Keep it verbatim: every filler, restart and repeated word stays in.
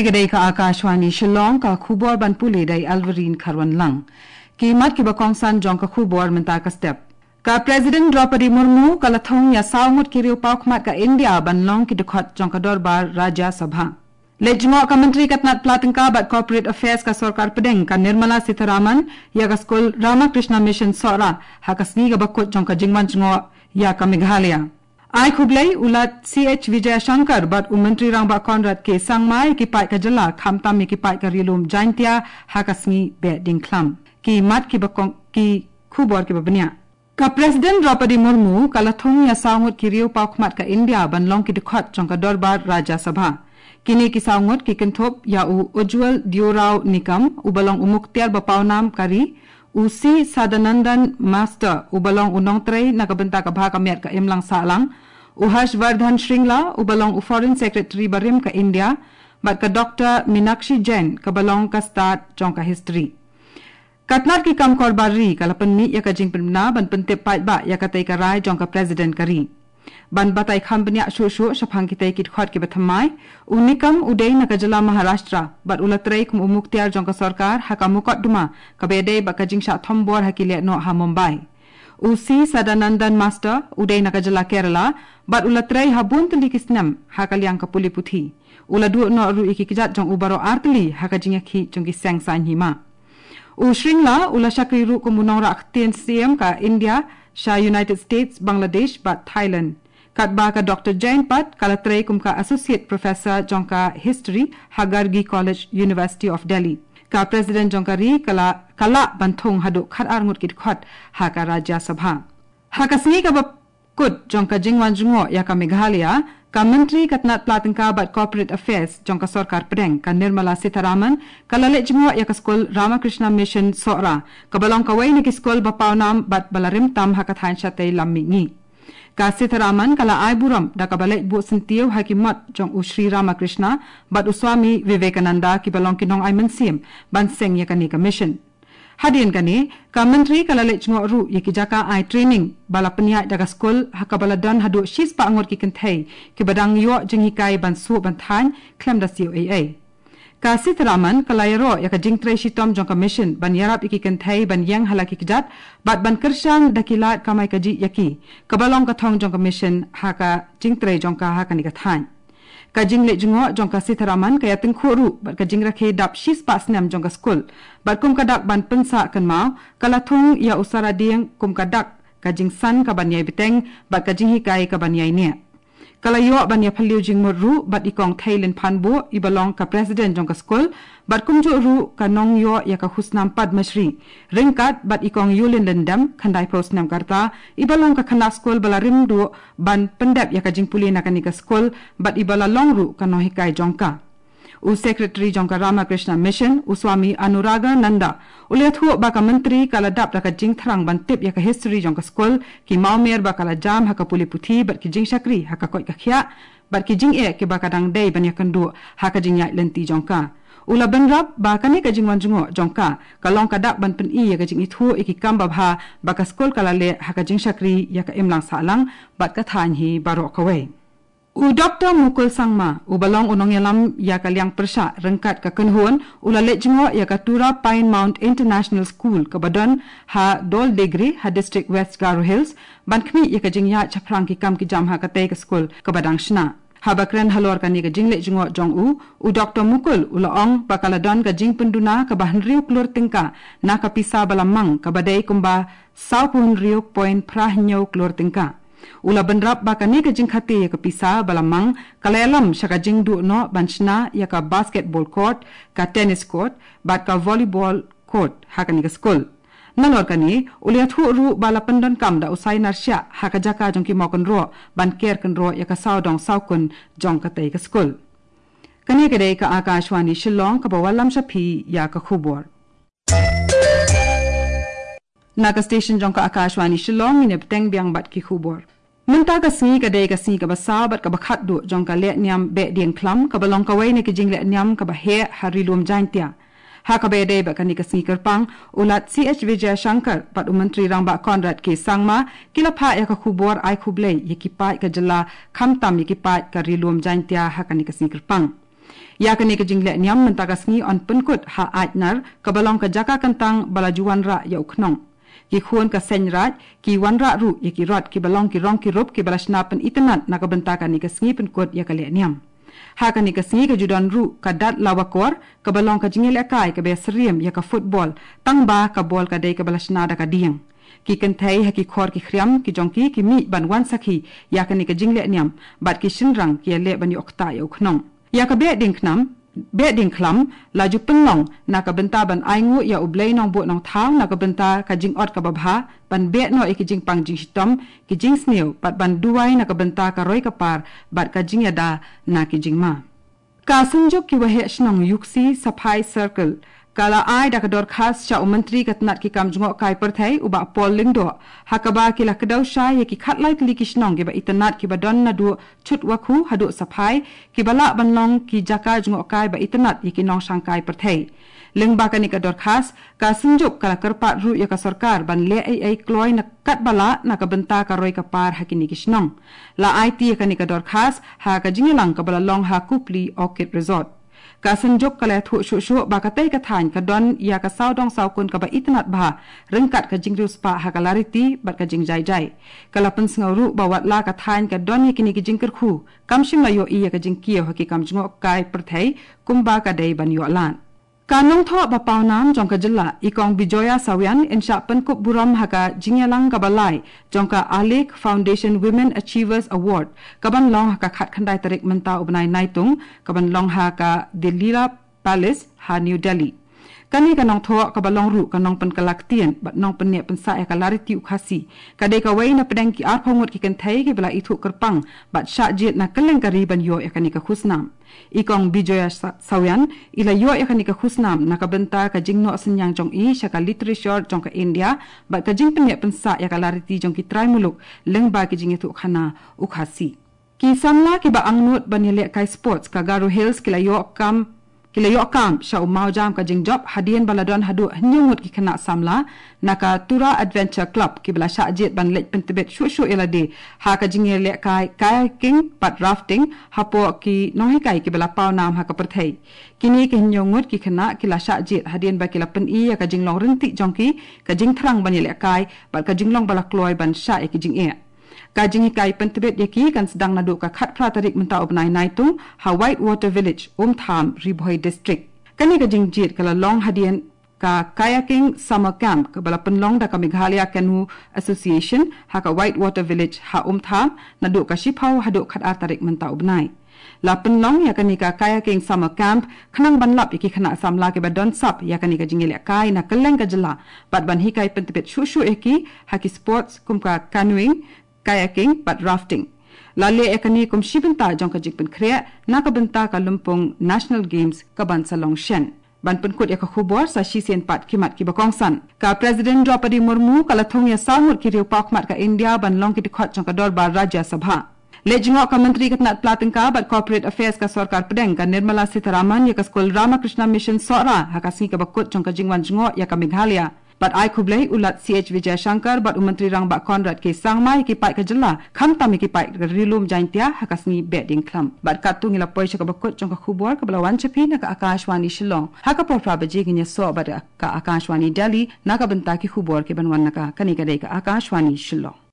Ka dei ka Akashvani Shillong, ka khubor ban pule da i Alvarine Kharwanlang. Ki mat kiba kongsan jong ka khubor mynta ka step. Ka President Droupadi Murmu ka la thung ïa saw ngut ki riew paw khmat ka India ban long ki dkhot jong ka dorbar Rajya Sabha. Leit jngoh ka Myntri ka tnat pla tyngka bad Corporate Affairs ka sorkar pdeng ka Nirmala Sitharaman ïa ka skul Ramakrishna Mission Sohra ha ka sngi kaba kut jong ka jingwan jngoh ïa ka Meghalaya. Ai khublei u Lat C H Vijayashankar bad u Myntri Rangbah Conrad K Sangma ïa ki paid ka jylla khamtam ïa ki paid ka Ri Lum Jaintia ha ka sngi Behdiengkhlam. Ki mat kiba kong, ki khubor kiba bniah. Ka President Droupadi Murmu ka la thung ïa saw ngut ki riew paw khmat ka India ban long ki dkhot jong ka dorbar Rajya Sabha. Kine ki saw ngut ki kynthup ïa u Ujjwal Deorao Nikam uba long u mukhtiar ba pawnam ka ri, u C Sadanandan Master uba long u nongtrei na ka bynta ka bha ka miat ka imlang sahlang, u Harshvardhan Shringla uba long u Foreign Secretary barim ka India, bad ka Doctor Minakshi Jain kaba long ka stad jong ka history. Ka tnat ki kam korbar ri ka la pynmih ïa ka jingpynbna ban pyntip paidbah ïa katei ka rai jong ka President ka ri. Ban batai kham bniah shuh shuh shaphang kitei ki dkhot kiba thymmai, u Nikam u dei na ka jylla Maharashtra bad u la trei kum u mukhtiar jong ka sorkar ha ka mukotduma kaba ïadei bad ka jingshah thombor ha ki lehnoh ha Mumbai. U C Sadanandan Master u dei na ka jylla Kerala bad u la trei ha bun tylli ki snem ha ka liang ka pule puthi. U la duh noh ruh ïa ki kjat jong u baroh artylli ha ka jingïakhih jong ki seng saiñ hima. U Shringla u la shakri ruh kum u nongrah ktien siem ka India sha United States, Bangladesh bad Thailand. Katba ka Doctor Jain pat ka la trei kum ka Associate Professor jong ka History ha Gargi College, University of Delhi. Ka President jong ka ri ka la, ka lah ban thung haduh khatar ngut ki dkhot ha ka Rajya Sabha. Ha ka sngi kaba kut jong ka jingwan jngoh ïa ka Meghalaya, ka Myntri ka tnat pla tyngka bad Corporate Affairs jong ka sorkar pdeng ka Nirmala Sitharaman ka la leit jngoh ïa ka skul Ramakrishna Mission Sohra, kaba long kawei na ki skul ba pawnam bad ba la rim tam ha ka thaiñ shatei lam mihngi. Ka Sitharaman ka la ai burom da kaba leit buh syntiew ha ki mot jong u Sri Ramakrishna bad u Swami Vivekananda kiba long ki nongai mynsiem ban seng ïa kane ka mission. Hadien kane, ka Myntri ka la leit jngoh ruh ïa ki jaka ai training ba la pynïaid da ka skul ha kaba la don haduh shispah ngut ki kynthei kiba dang ïoh jinghikai ban suh ban thaiñ khlem da siew ei ei. Ka Sitharaman ka la ïaroh ïa ka jingtrei shitom jong ka mission ban ïarap ïa ki kynthei ban ïeng ha la ki kjat bad ban kyrshan da ki lad kamai kajih ïa ki, kaba long ka thong jong ka mission ha ka jingtrei jong ka ha kane ka thaiñ. Ka jingleit jngoh jong ka Sitharaman ka ïatyngkhuh ruh bad ka jingrakhe dap shispah snem jong ka skul. Bad kum ka dak ban pynsah kynmaw, ka la thung ïa u Saradieng kum ka dak ka jingsan kaban ïai bteng bad ka jinghikai kaban ïai neh. Ka la ïoh ban ïaphylliew jingmut ruh bad i Kong Theilin Phanbuh iba long ka President jong ka skul, bad kumjuh ruh ka nongïoh ïa ka khusnam Padma Shri. Ryngkat bad i Kong Yulin Lyndem, khyndai phew snem ka rta, iba long ka khynnah skul ba la rim duh ban pyndep ïa ka jingpule na kane ka skul, bad iba la long ruh ka nonghikai jong ka. U Secretary jong ka Ramakrishna Mission, u Swami Anuragananda, u la ïathuh ba ka Myntri ka la dap da ka jingthrang ban tip ïa ka history jong ka skul, ki mawmer ba ka la jam ha ka pule puthi bad ki jingshakri ha ka koit ka khiah, bad ki jingeh kiba ka dang dei ban ïakynduh ha ka jingïaid lynti jong ka. U la bynrap ba kane ka jingwan jngoh jong ka ka long ka dak ban pyni ïa ka jingithuh ïa ki kam babha ba ka skul ka la leh ha ka jingshakri ïa ka imlang sahlang bad ka thaiñ hi baroh kawei. U Doctor Mukul Sangma, uba long u nongïalam ïa ka liang pyrshah ryngkat ka kynhun, u la leit jngoh ïa ka Tura Pine Mount International School kaba don ha Doldegre ha District West Garo Hills, ban khmih ïa ka jingïaid shaphrang ki kam ki jam ha katei ka skul kaba dang shna. Haba kren halor kane ka jingleit jngoh jong u, u Doctor Mukul u la ong ba ka la don ka jingpynduna kaba hynriew klur tyngka na ka pisa ba la mang kaba dei kumba saw phew hynriew point phra hynñiew klur tyngka. U la bynrap ba kane ka jingkhate ïa ka pisa ba la mang ka la ïalam sha ka jingduh noh ban shna ïa ka basketball court, ka tennis court bad ka volleyball court ha kane ka skul. Nalor kane, u la ïathuh ruh ba la pyndonkam da u Sainar Shah ha ka jaka jong ki mawkynroh ban ker kynroh ïa ka sawdong sawkun jong katei ka skul. Kane ka dei ka Akashvani Shillong kaba wallam sha phi ïa ka khubor. Na ka station jong ka Akashvani Shillong, ngin ïa bteng biang bad ki khubor. Mynta ka sngi ka dei ka sngi kaba saw bad kaba khatduh jong ka lehniam Behdiengkhlam kaba long kawei na ki jinglehniam kaba heh ha Ri Lum Jaintia. Ha kaba ïadei bad kane ka sngi kyrpang, u Lat C H Vijayashankar bad u Myntri Rangbah Conrad K Sangma ki la phah ïa ka khubor ai khublei ïa ki paid ka jylla khamtam ïa ki paid ka Ri Lum Jaintia ha kane ka sngi kyrpang. Ïa kane ka jingleh niam mynta ka sngi yn pynkut ha Aitnar, kaba long ka jaka kyntang ba la ju wanrah ïa u khnong. Ki khun ka Seng Raij ki wanrah ruh ïa ki rot kiba long ki rong ki rup kiba la shna pynitynnad na ka bynta kane ka sngi pynkut ïa ka leh niam. Ha kane ka sngi ka ju don ruh ka Datlawakor, kaba long ka jingïalehkai kaba ïasyriem ïa ka football, tangba ka bol ka dei kaba la shna da ka dieng. Ki kynthei ha ki khor ki khriam ki jong ki ki mih ban wan sakhi ïa kane ka jingleh niam, bad ki shynrang ki ïaleh ban ïoh ktah ïa u khnong. Ïa ka Behdieñkhlam, Behdieñkhlam la ju pynlong na ka bynta ban ainguh ïa U Blei Nongbuh Nongthaw na ka bynta ka jingot kaba bha, ban beh noh ïa ki jingpang jingshitom, ki jingsniew, bad ban duwai na ka bynta ka roi ka par bad ka jingïada na ki jingma. Ka Synjuk ki Waheh Shnong Iooksi Sipai Circle ka la ai da ka dorkhas sha u Myntri ka tnat ki kam jngohkai pyrthei, u Bah Paul Lyngdoh, ha kaba ki la kdew shai ïa ki khatlai tylli ki shnong kiba itynnad kiba don naduh Chutwakhu haduh Sipai, kiba lah ban long ki jaka jngohkai ba itynnad ïa ki nongshangkai pyrthei. Lyngba kane ka dorkhas, ka Synjuk ka la kyrpad ruh ïa ka sorkar ban leh ei ei kloi na katba lah na ka bynta ka roi ka par ha kine ki shnong. La aiti ïa kane ka dorkhas ha ka jingïalang kaba la long ha Kupli Orchid Resort. Ka Synjuk ka la ïathuh shuh shuh ba katei ka thaiñ ka don ïa ka sawdong sawkun kaba itynnad bha, ryngkat ka jingriewspah ha ka lariti bad ka jingjai jai. Ka la pynsngew ruh ba wat la ka thaiñ ka don ïa kine ki jingkyrkhu, kam shym la ïohi ïa ka jingkiew ha ki kam jngohkai pyrthei kumba ka dei ban ïoh lad. Ka nongthoh ba pawnam jong ka jylla, i Kong Bijoya Sawian, yn shah pynkup burom ha ka jingïalang kaba lai jong ka Alek Foundation Women Achievers Award, kaban long ha ka khatkhyndai tarik mynta u bnai Naitung, kaban long ha ka The Leela Palace ha New Delhi. Kane ka nongthoh kaba long ruh ka nongpynkylla ktien bad nongpynneh pynsah ïa ka lariti u Khasi, ka dei kawei na pdeng ki arphew ngut ki kynthei kiba la ithuh kyrpang bad shah jied na kylleng ka ri ban ïoh ïa kane ka khusnam. I Kong Bijoya Sa-, Sawian, i la ïoh ïa kane ka khusnam na ka bynta ka jingnoh synñiang jong i sha ka literature jong ka India bad ka jingpynneh pynsah ïa ka lariti jong ki trai muluk lyngba ki jingïathuhkhana u Khasi. Ki samla kiba angnud ban ïalehkai sports ka Garo Hills ki la ïoh kam, ki la ïoh kam sha u mawjam ka jingjop hadien ba la don haduh hynñiew ngut ki khynnah samla na ka Tura Adventure Club kiba la shah jied ban leit pyntbit shuh shuh ïa lade ha ka jingïalehkai kayaking bad rafting hapoh ki nonghikai kiba la pawnam ha ka pyrthei. Kine ki hynñiew ngut ki khynnah ki la shah jied hadien ba ki la pyni ïa ka jinglong ryntih jong ki, ka jingthrang ban ïalehkai bad ka jinglong ba la kloi ban shah ïa ki jingeh. Ka jinghikai pyntbit ïa ki kan sdang naduh ka khatphra tarik mynta u bnai Naitung ha White Water Village, Umtham, Ri Bhoi District. Kane ka jingjied ka la long hadien ka Kayaking Summer Camp kaba la pynlong da ka Meghalaya Canoe Association ha ka White Water Village ha Umtham naduh ka shiphew haduh khatar tarik mynta u bnai. La pynlong ïa kane ka Kayaking Summer Camp khnang ban lap ïa ki khynnah samla kiba don sap ïa kane ka jingïalehkai na kylleng ka jylla bad ban hikai pyntbit shuh shuh ïa ki ha ki sports kum ka canoeing, kayaking bad rafting. La leh ïa kane kum shi bynta jong ka jingpynkhreh na ka bynta ka lympung National Games kaban sa long shen. Ban pynkut ïa ka khubor sa shisien pat ki mat kiba kongsan. Ka President Droupadi Murmu ka la thung ïa saw ngut ki riew paw khmat ka India ban long ki dkhot jong ka dorbar Rajya Sabha. Leit jngoh ka Myntri ka tnat pla tyngka bad Corporate Affairs ka sorkar pdeng ka Nirmala Sitharaman ïa ka skul Ramakrishna Mission Sohra ha ka sngi kaba kut jong ka jingwan jngoh ïa ka Meghalaya. Bad ai khublei u Lat C H Vijayashankar bad u Myntri Rangbah Conrad K Sangma ïa ki paid ka jylla, khamtam ïa ki paid ka Ri Lum Jaiñtia ha ka sngi Behdieñkhlam. Bad katto ngi la poi sha kaba kut jong ka khubor kaba la wan sha phi na ka Akashvani Shillong. Ha ka por phra baje ngin ïasoh bad ka Akashvani Delhi na ka bynta ki khubor kiban wan na ka. Kane ka dei ka Akashvani Shillong.